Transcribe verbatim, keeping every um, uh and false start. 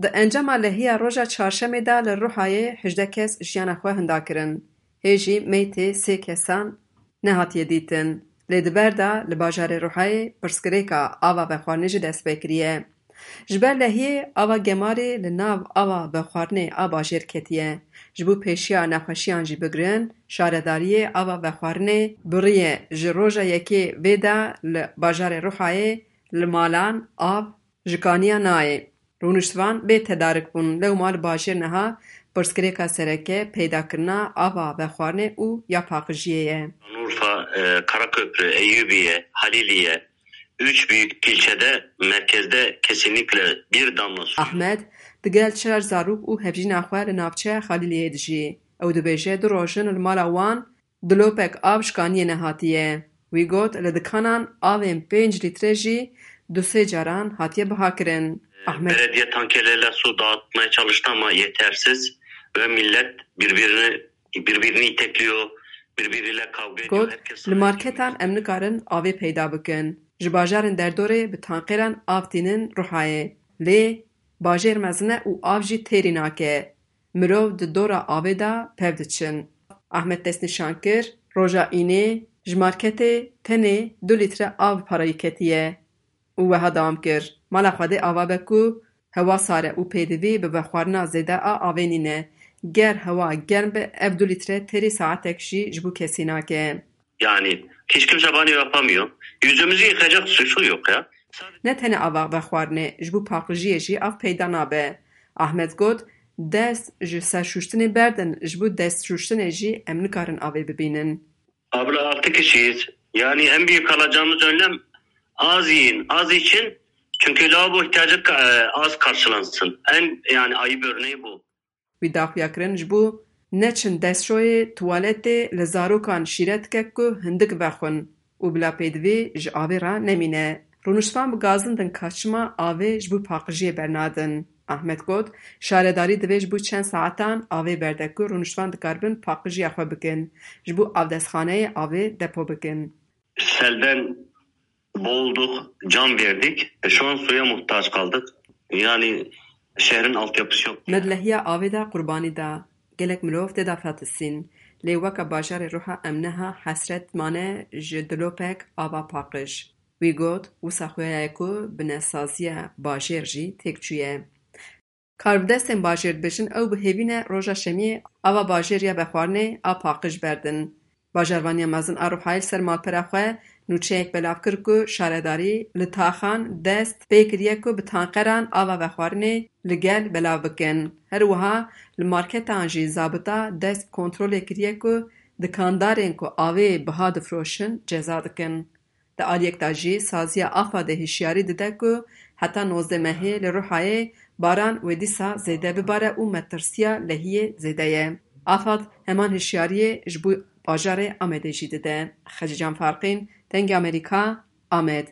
Di encama lehiya roja çarşemê de li Ruhayê hejdeh kes jiyana xwe hinda kirin. Hê jî meytê sê kesan nehatiye dîtin. Lê di ber de li bajarê Ruhayê pirsgirêka ava vexwarinê jî dest pê kiriye. Ji ber lehiyê ava gemarê li nav ava vexwarinê a bajêr ketiye. Ji bo pêşiya nexweşiyan jî bigirin, şaredariyê ava vexwarinê biriye. Ji roja yekê vê de li bajarê Ruhayê li malan av ji kaniya nayê. Rûniştvan bê tedarik bûn. Lewma li bajêr niha pirsgirêka sereke peydakirina ava vexwarinê û ya paqijiyê ye. Şanlıurfa, e, Karaköprü, Eyüpiye, Haliliye, üç büyük ilçede merkezde kesinlikle bir damla su. Ahmed digel çar zarok û hevjîna xwe li navçeya Xaliliyê dijî. Ew dibêje du roj in li mala wan dilopek av ji kaniyê nehatiye. Wî got, li dikanan avên pênc lître jî du sê caran hatiye bihakirin. Ahmed. Belediye tankerlerle su dağıtmaya çalıştı ama yetersiz ve millet birbirini birbirini itekliyor, birbiriyle kavga ediyor. Got, li marketan em nikarin avê peyda bikin. Ji bajarên derdorê bi tanqêran av tînin Ruhayê. Lê bajêr mezin e û av jî têrî nake. Mirov di dora avê de pev diçin. Ahmed destnîşan kir, roja înê ji marketê tenê du lître av parayî ketiye û wiha dewam kir, mala Xwedê ava be ku hewa sar e û pêdivî bi vexwarina zêde a avê nîne. Ger hewa germ be, ev du lître têrî saetek jî ji bo kesî nake. Yani hiç kimse banyo yapamıyor. Yüzümüzü yıkayacak su yok ya. Ne tenê ava vexwarinê, ji bo paqijiyê jî av peyda nabe. Ahmed got, dest ji serşûştinê berdin, ji bo destşûştinê jî em nikarin avê bibînin. Abla altı kişiyiz. Yani en büyük alacağımız önlem az yiyin, az için. Çünkü lavabo ihtiyacı ka- e, az karşılansın. En yani ayıp örneği bu. Wî daxuya kirin ji bo neçin destşoyê, tuwaletê, li zarokan şîret dike ku hindik vexwin û bila pêdivî ji avê re nemîne. Rûniştvan bi gazin din ka çima avê ji bo paqijiyê bernadin. Ahmed got, şaredarî divê ji bo çend saetan avê berde ku rûniştvan dikaribin paqijiya xwe bikin, ji bo avdestxaneyê avê depo bikin. Selden boğulduk, can verdik. E, şu an suya muhtaç kaldık. Yani şehrin altyapısı yok. Me di lehiya avê de qurbanî da. Gelek mirov tê de fetisîn. Lê weke bajarê Ruha em niha hesret mane ji dilopek ava paqij. Wî got, wisa xuya ye ku bi nesaziya bajêr jî têk çûye. Karbidestên bajêr dibêjin, ew bi hêvî ne roja şemiyê ava bajêr ya vexwarinê a paqij berdin. Bajarvaniya mezin a Ruhayê li ser malpera xwe nûçeyek belav kir ku şaredarî li taxan dest pê kiriye ku bi tanqeran ava vexwarinê li gel belav bikin. Her wiha li marketan jî zabita dest bi kontrolê kiriye ku dikandarên ku avê biha difroşin ceza dikin. Di aliyek de jî saziya AFADê hişyarî dide ku heta nozdeh mehê li Ruhayê baran wê dîsa zêde bibare û metirsiya lehiyê zêde ye. AFAD heman hişyariyê ji bo bajarê Amedê jî dide. Xecîcan Farqîn, Dengê Amerîka, Amed.